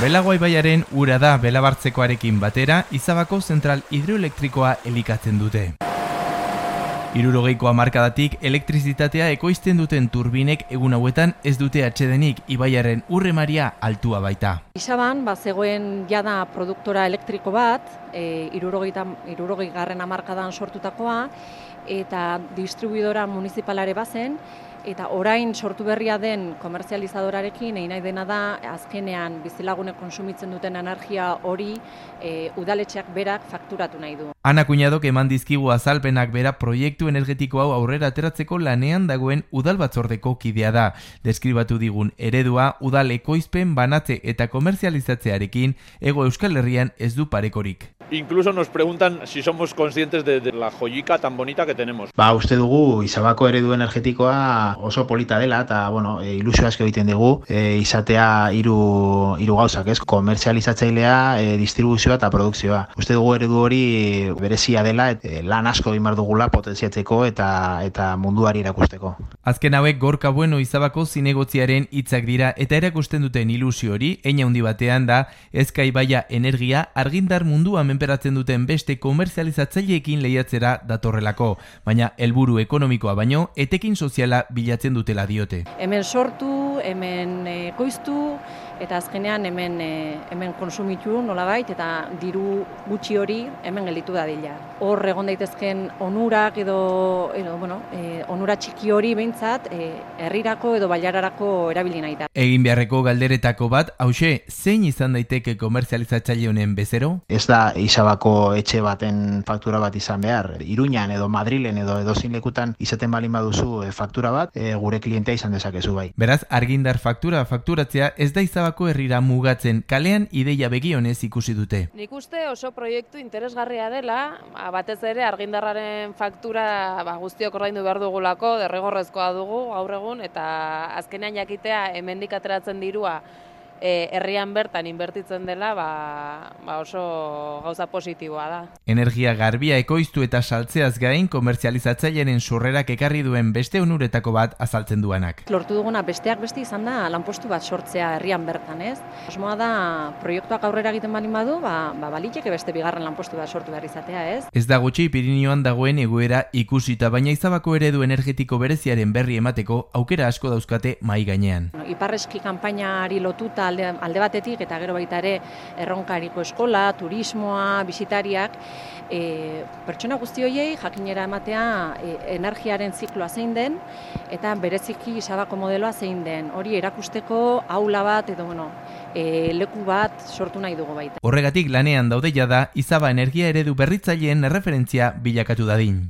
Belago ibaiaren ura da Belabartzekoarekin batera Izabako zentral hidroelektrikoa elikatzen dute. 60ko hamarkadatik elektrizitatea ekoizten duten turbinek egun hauetan ez dute atsedenik, ibaiaren urremaria altua baita. Izaban, zegoen jada produktora elektriko bat, 60garren hamarkadan sortutakoa, eta distribuidora municipalare bazen, eta orain sortu berria den komerzializadorarekin egin nahi dena da azkenean bizilagunek konsumitzen duten energia hori udaletxeak berak fakturatu nahi du. Ana Kuñadok eman dizkigu azalpenak bera proiektu energetiko hau aurrera ateratzeko lanean dagoen udal batzordeko kidea da. Deskribatu digun eredua udal ekoizpen banatze eta komerzializatzearekin Hego Euskal Herrian ez du parekorik. Incluso nos preguntan si somos conscientes de la joyica tan bonita que tenemos. Uste dugu Izabako eredu energetikoa oso polita dela eta ilusio asko egiten dugu izatea hiru gauzak, ez? Komerzializatzailea, distribuzioa eta produkzioa. Uste dugu eredu hori berezia dela, lan asko egin behar dugula potentziatzeko eta munduari erakusteko. Azken hauek Gorka Bueno Izabako zinegotziaren hitzak dira eta erakusten duten ilusio hori hein handi batean da Ezka ibaia energia argindar mundua menperatzen duten beste komerzializatzaileekin lehiatzera datorrelako, baina helburu ekonomikoa baino etekin soziala bilatzen dutela diote. Hemen sortu, hemen ekoiztu eta azkenean hemen konsumitu nolabait eta diru gutxi hori hemen gelditu dadila. Hor egon daitezken onurak edo onura txiki hori behintzat herrirako edo bailararako erabili nahi da. Egin beharreko galderetako bat, hauxe, zein izan daiteke komerzializatzaile honen bezero? Ez da Izabako etxe baten faktura bat izan behar. Iruñan edo Madrilen edo edozein lekutan izaten balin baduzu faktura bat, gure klientea izan dezakezu bai. Beraz, argindar fakturatzea ez da Izabako herrira mugatzen, kalean ideia begionez ikusi dute. Nik uste oso proiektu interesgarria dela, batez ere argindarraren faktura guztiok ordaindu behar dugulako, derrigorrezkoa dugu gaur egun, eta azkenean jakitea hemendik ateratzen dirua herrian bertan inbertitzen dela, oso gauza positiboa da. Energia garbia ekoiztu eta saltzeaz gain komerzializatzailearen sorrerak ekarri duen beste onuretako bat azaltzen duanak. Lortu duguna besteak beste izan da lanpostu bat sortzea herrian bertan, ez? Osmoa da proiektuak aurrera egiten balin badu, baliteke beste bigarren lanpostu bat sortu behar izatea, ez? Ez da gutxi Pirinioan dagoen egoera ikusita, baina Izabako eredu energetiko bereziaren berri emateko aukera asko dauzkate mahai gainean. Iparreski kanpainari lotuta alde batetik eta gero baita ere erronkariko eskola, turismoa, bisitariak, pertsona guzti horiei jakinera ematea energiaren zikloa zein den eta bereziki Izabako modeloa zein den. Hori erakusteko aula bat edo leku bat sortu nahi dugu baita. Horregatik lanean daude jada Izaba energia eredu berritzaileen erreferentzia bilakatu dadin.